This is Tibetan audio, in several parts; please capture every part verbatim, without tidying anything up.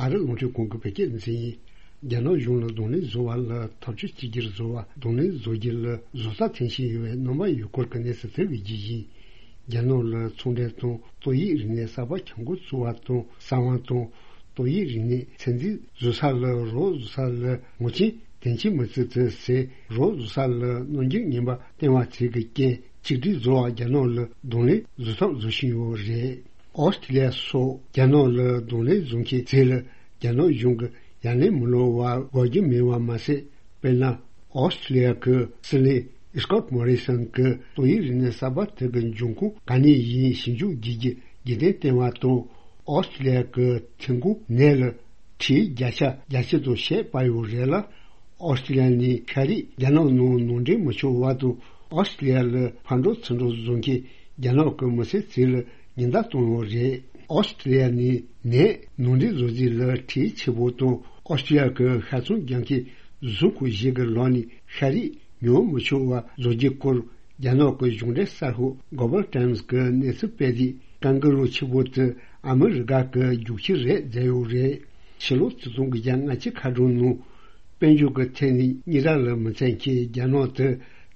ཨ་རི་རླུང་འཕྲིན་ཁང་གི་བོད་སྐད་སྡེ་ཚན་ཡིན། རྒྱ་ནག་གཞུང་ལ་གདོང་ལེན་བཟོ་བ་ལ་ཐབས་ཇུས་གཅིག་གྱུར་བཟོ་བ། གདོང་ལེན་བཟོ་རྒྱུ་ལ་བཟོ་ལྟ་འཐེན་བཞིན་ཡོད་པའི་རྣམ་པ་ཡོད་སྐོར་གྱི་གནས་ཚུལ་དེ་བས་ཀྱི་ཡིན། རྒྱ་ནག་ལ་ཚོང་འབྲེལ་དང་ཏོག་དབྱིབས་རིམས་ནད་གསར་པ་ཁྱབ་འགོ་ཚུགས་པ་དང་གསང་བ་དང་། ཏོག་དབྱིབས་རིམས་ནད་ཚོད་འཛིན་བཟོ་ས་ལ་རོགས་བཟོ་ས་ལ་ངོ་རྐྱེན་དོན་རྐྱེན་མི་བརྩི་ཚུལ་ཟེར། རོགས་བཟོ་ས་ལ་རྣམ་འགྱུར་ངན་པ་བསྟན་པ་ཚོས་ཀྱི་རྐྱེན་གཅིག་སྒྲིལ་བཟོ་བ་རྒྱ་ནག་ལ་གདོང་ལེན་བཟོ་ཐབས་བཟོ་བཞིན་ཡོད་རེད། ཨོ་སི་ཀྲི་ལི་ཡ་སོགས་རྒྱ་ནག་ལ་གདོང་ལེན་བཟོ་མཁན་ཚོས་ལ་རྒྱ་ནག་གཞུང་གིས་ཡ་ལན་མི་སློག་པར་འགོག་རྒྱུ་མེད་པ་མ་ཟད། དཔེར་ན། ཨོ་སི་ཀྲི་ལི་ཡ་གི་སྲིད་བློན་སྐོཊ་མོ་རི་སན་གྱིས་ཏོག་དབྱིབས་རིམས་ནད་གསར་པ་དེ་གི་འབྱུང་ཁུངས་ག་ནས་ཡིན་ཞིབ་འཇུག་བགྱིད་རྒྱུ་རྒྱུན་ལྡན་བསྟན་པ་དང་། ཨོ་སི་ཀྲི་ལི་ཡ་གི་ཐོན་ཁུངས་ནས་ལ་ཁྲལ་བརྒྱ་ཆ་བརྒྱད་ཅུ་དང་ཕྱེད་སྤར་ཡོད་རེད་ལ། ཨོ་སི་ཀྲི་ལི་ཡ་ནས་ཤ་རིགས་རྒྱ་ནག་ནང་ནང་འདྲེན་མི་ཆོག་པ་དང་། ཨོ་སི་ཀྲི་ལི་ཡ་ལ་ཕར་འགྲོ་ཚུར་འགྲོ་བཟོ་མཁན་རྒྱ་ནག་གི་མི་སེར་ཚོ་ལ་ཉེན་བརྡ་བཏང་ཡོད་རེད། ཨོ་སི་ཀྲི་ལི་ཡ་ནས་ནས་ནང་འདྲེན་བཟོ་རྒྱུ་ལ་ཁྲལ་ཆེ་པོ་དང་། ཨོ་སི་ཀྲི་ལི་ཡ་གི་ཤ་ཚོང་རྒྱག་མཁན་བཟོ་ཁང་ཞིག་གི་ལག་ནས་ཤ་རིགས་ཉོ་མི་ཆོག་པ་བཟོ་རྒྱུའི་སྐོར། རྒྱ་ནག་གི་གཞུང་འབྲེལ་གསར་ཤོག་གོ་ལི་བལ་ཊེམ་སི་གི་གནས་ཚུལ་སྤེལ་དུས། ཀན་ཀུ་རུ་ཆེན་པོ་དེ་ཨ་མི་རི་ཀ་གི་རྒྱུག་ཁྱི་རེད་བརྗོད་ཡོད་རེད། ཕྱི་ལོ་ཆིག་སྟོང་དགུ་བརྒྱ་ལྔ་བཅུ་ཁ་གྲངས་ནང་། དཔལ་འབྱོར་གྱི་ཐད་ནས་གཉིས་ར་ལ་མི་འཚམ་མཁན་རྒྱ་ནག་དེ་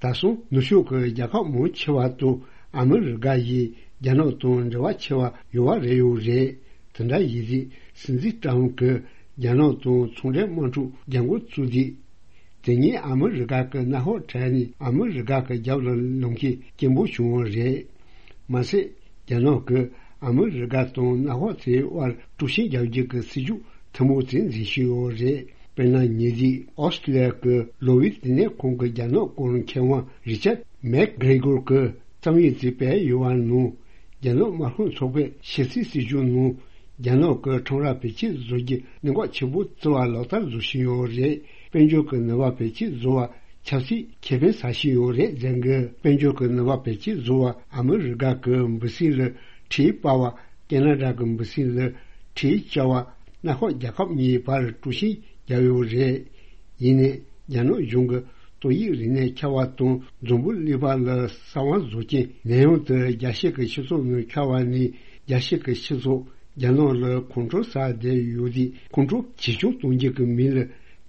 ད་སང་ནུབ་ཕྱོགས་ཀྱི་རྒྱལ་ཁབ་མང་ཆེ་བ་དང་ཨ་མི་རི་ཀ་ཡིས་རྒྱ་ནག་དང་འབྲེལ་བ་ཆེ་བ་ཡོད་པ་རེད་ཡོད་རེད། དེ་འདྲ་ཡིན་དུས་སྲིད་འཛིན་ཀྲམ་གྱིས་རྒྱ་ནག་དང་ཚོང་འབྲེལ་དམག་འཁྲུག་རྒྱག་འགོ་བཙུགས་དུས། དེ་ཉིད་ཨ་མི་རི་ཀ་གི་མནའ་ཤག་ཁྲལ་ནས་ཨ་མི་རི་ཀ་གི་རྒྱབ་ལ་ལངས་མཁན་སྐྱེན་པོ་བྱུང་བ་རེད། མ་ཟད། རྒྱ་ནག་གིས་ཨ་མི་རི་ཀ་དང་མནའ་ཤག་དེའི་དབར་དཀྲུག་ཤིང་རྒྱག་རྒྱུ་གི་སྲིད་ཇུས་ཐུན་མོང་དེ་འཛིན་བཞིན་ཡོད་རེད། དཔེར་ན། ཉེ་དུས་ཨོ་སི་ཀྲི་ལི་ཡ་གི་ལོ་ཝི་ལྟེ་གནས་ཁང་གི་རྒྱ་ནག་སྐོར་མཁས་དབང་རི་ཅར་མེག་གྷེ་རེ་གོར་གྱིས་རྩོམ་ཡིག་ཅིག་སྤེལ་ཡོད་པ་ནང་། རྒྱ་ནག་དམར་ཤོག་ཚོགས་པའི་ཕྱི་སྲིད་སྲིད་ཇུས་ནང་། རྒྱ་ནག་གི་ཁྲོམ་ར་བེད་སྤྱོད་བཟོ་རྒྱུ་གནད་འགག་ཆེན་པོ་བརྩི་བ་ལག་བསྟར་བཟོ་བཞིན་ཡོད་རེད། དཔལ་འབྱོར་གྱི་ནུས་པ་བེད་སྤྱོད་བཟོ་བ་ཆབ་སྲིད་ཁེ་ཕན་ཟ་བཞིན་ཡོད་རེད་ཟེར་གི། དཔལ་འབྱོར་གྱི་ནུས་པ་བེད་སྤྱོད་བཟོ་བ་ཨ་མི་རི་ཀ་གི་འབུ་སྲིན་ལ་ཁྲལ་སྤར་བ། ཁེ་ན་ཌ་གི་འབུ་སྲིན་ལ་ཁྲལ་བཅག་པ། མནའ་ཤག་རྒྱལ་ཁབ་གཉིས་བར་དཀྲུག་ཤིང་བརྒྱབ་ཡོད་རེད། ཡིན་ནའི་རྒྱ་ནག་གཞུང་གིས་ཏོག་དབྱིབས་རིམས་ནད་ཁྱབ་པ་དང་འཛམ་བུ་གླིང་པ་ལ་གསང་བ་བཟོ་རྐྱེན་ནད་ཡམས་དེ་རྒྱལ་སྤྱི་གི་སྤྱི་ཚོགས་ནང་ཁྱབ་པ་ནས། རྒྱལ་སྤྱི་གི་སྤྱི་ཚོགས་རྒྱ་ནག་ལ་ཁོང་ཁྲོ་ཟ་བསྡད་ཡོད་དུས། ཁོང་ཁྲོ་ཇེ་ཆུང་གཏོང་རྒྱུ་གི་མིང་ལ་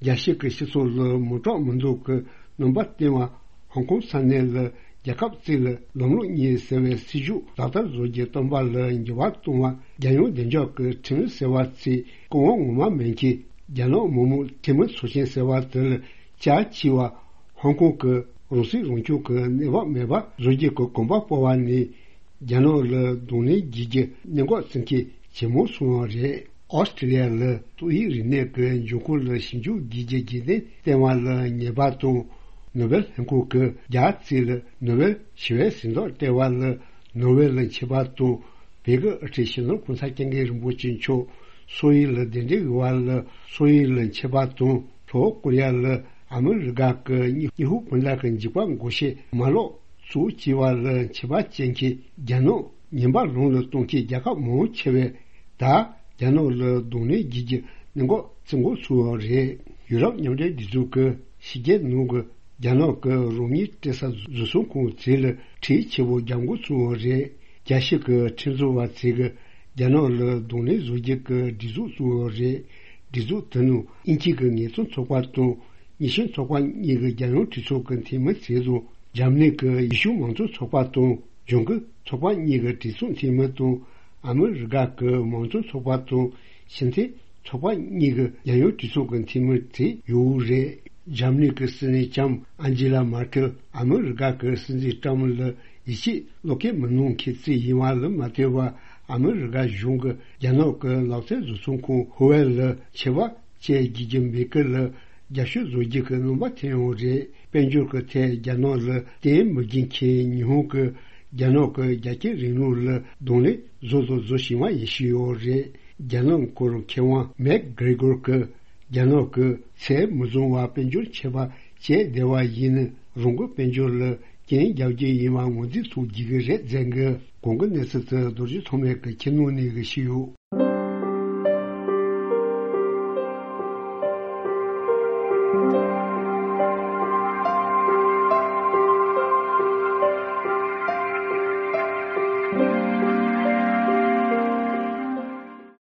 རྒྱལ་སྤྱི་གི་སྤྱི་ཚོགས་ལ་མི་སྐྲག་མི་འདོད་ཀྱི་རྣམ་པ་བསྟན་པ། ཧོང་ཀོང་ས་གནས་ལ་རྒྱལ་ཁབ་གཅིག་ལ་ལམ་ལུགས་གཉིས་ཟེར་བའི་སྲིད་ཇུས་ལག་བསྟར་བཟོ་རྒྱུ་བཏོན་པ་ལ་འགྱུར་བ་གཏོང་བ། རྒྱལ་ཡོངས་བདེ་འཇགས་ཀྱི་ཁྲིམས་ཟེར་བ་ཚོས་སྐུ་དབང་ངོ་མ་མེད་མཁན་རྒྱ་ནག་མི་དམངས་འཐུས་མི་ཚོགས་ཆེན་ཟེར་བ་དེ་ལ་བཅའ་བཅག་པ། ཧོང་ཀོང་གི་རང་སྲིད་རང་སྐྱོང་གི་གནས་བབ་མེད་པ་བཟོ་རྒྱུ་གི་གོམ་པ་སྤོ་བ་ནས། རྒྱ་ནག་ལ་གདོང་ལེན་བགྱིད་རྒྱུ་གནད་འགག་བརྩི་མཁན་ཇེ་མང་སོང་བ་རེད། ཨོ་སི་ཀྲི་ལི་ཡ་ལ་ཏོག་དབྱིབས་རིམས་ནད་ཀྱི་འབྱུང་ཁུངས་ལ་ཞིབ་འཇུག་བགྱིད་རྒྱུ་རྒྱུན་ལྡན་བསྟན་པ་ལ་ཉེས་པ་དང་། ནོ་བེལ་ལྷན་ཁང་གིས་རྒྱ་རྩིས་ལ་ནོ་བེལ་ཞི་བའི་གཟེངས་རྟགས་སྤྲད་པ་ལ། ནོ་བེལ་ལ་མཆིས་པ་དང་། བོད་ཀྱི་དབུ་ཁྲིད་སྤྱི་ནོར་གོང་ས་སྐྱབས་མགོན་རིན་པོ་ཆེ་མཆོག་སོག་ཡུལ་ལ་གདན་འདྲེན་ཞུ་བ་ལ། སོག་ཡུལ་ལ་མཆིས་པ་དང་། ལྷོ་ཀོ་རི་ཡ་ལ་ཨ་མི་རི་ཀ་གི་སྙི་སྙི་ཧུ་སྤུན་ཟླ་གི་འཇིགས་པ་འགོག་ཆེད་མ་ལག་བཙུགས་བྱས་པ་ལ་མཆིས་པ་བྱེད་མཁན་རྒྱ་ནག་ཉེན་པ་ལོང་ལ་གཏོང་མཁན་རྒྱལ་ཁབ་མང་ཆེ་བས། ད་རྒྱ་ནག་ལ་གདོང་ལེན་བགྱིད་རྒྱུ་གནད་འགག་བརྩི་འགོ་ཚུགས་པ་རེད། ཡུ་རོབ་མཉམ་འབྲེལ་སྒྲིག་འཛུགས་ཀྱིས་ཕྱི་རྒྱལ་ནང་གི་རྒྱ་ནག་གི་རང་མིའི་སྤྲད་ས་བཟོ་ཚོང་ཁང་ཚོ་ལ་ཁྲལ་ཆེ་པོ་རྒྱག་འགོ་ཚུགས་པ་རེད། རྒྱལ་སྤྱི་གི་ཁྲིམས་བཟོ་བ་ཚོས་ཀྱིས་རྒྱ་ནག་ལ་གདོང་ལེན་བཟོ་རྒྱུ་གི་སྒྲིག་འཛུགས་བཙུགས་པ་རེད། སྒྲིག་འཛུགས་དེ་ནང་དབྱིན་ཇི་གི་ངལ་རྩོལ་ཚོགས་པ་དང་། ཉི་ཤུ་ཚོགས་པ་གཉིས་ཀྱི་རྒྱལ་ཡོངས་གྲོས་ཚོགས་ཀྱི་འཐུས་མི་ཚོ་དང་། འཇར་མ་ནི་གི་ཡེ་ཤུ་མང་གཙོ་ཚོགས་པ་དང་། ལྗོངས་ཀྱི་ཚོགས་པ་གཉིས་ཀྱི་གྲོས་ཚོགས་འཐུས་མི་དང་། ཨ་མི་རི་ཀ་གི་མང་གཙོ་ཚོགས་པ་དང་། ཕྱི་འཐེན་ཚོགས་པ་གཉིས་ཀྱི་རྒྱལ་ཡོངས་གྲོས་ཚོགས་ཀྱི་འཐུས་མི་ཚོ་ཡོད་རེད། འཇར་མ་ནི་གི་སྲིད་བློན་ལྕམ་ཨན་ཇི་ལ་མར་ཀེལ་ཨ་མི་རི་ཀ་གི་སྲིད་འཛིན་ཀྲམ་ལ་ཡིད་ཆེས་བློ་སྐྱེད་མི་གནང་མཁན་ཞིག་ཡིན་པ་ལ་མ་ལྟོས་པར། ཨ་མི་རི་ཀ་གཞུང་གིས་རྒྱ་ནག་གི་ལག་རྩལ་བཟོ་ཚོང་ཁང་ཧུ་ཝེ་ལ་ཆེ་བ་བཅས་བགྱིད་རྒྱུ་མེད་ཀི་ལ་རྒྱབ་སྐྱོར་བཟོ་རྒྱུ་གི་རྣམ་པ་འཐེན་ཡོད་རེད། དཔལ་འབྱོར་གྱི་ཐད་རྒྱ་ནག་ལ་བརྟེན་མི་དགོས་མཁན་ཉི་ཧོང་གིས་རྒྱ་ནག་གི་རྒྱ་སྐྱེད་རིང་ལུགས་ལ་གདོང་ལེན་བཟོ་དང་བཟོ་བཞིན་པ་ཡིན་ཞུས་ཡོད་རེད། རྒྱ་ནག་སྐོར་མཁས་དབང་མེག་གྷི་རེ་གོར་གྱིས། རྒྱ་ནག་གིས་ཚད་མི་བཟུང་བར་དཔལ་འབྱོར་ཆད་པ་བཅད་བསྡད་པ་ཡིན་ན། རང་གི་དཔལ་འབྱོར་ལ་རྐྱེན་རྒྱག་རྒྱུ་ཡིན་པ་ངོས་འཛིན་ཐུབ་རྒྱུ་གི་རེད་ཟེར་གི། གོང་གི་གནས་ཚུལ་དེ་རྡོ་རྗེ་ཐོགས་མེད་ཀྱིས་ཁྱེར་ནང་ནས་གི་ཞུས་ཡོད།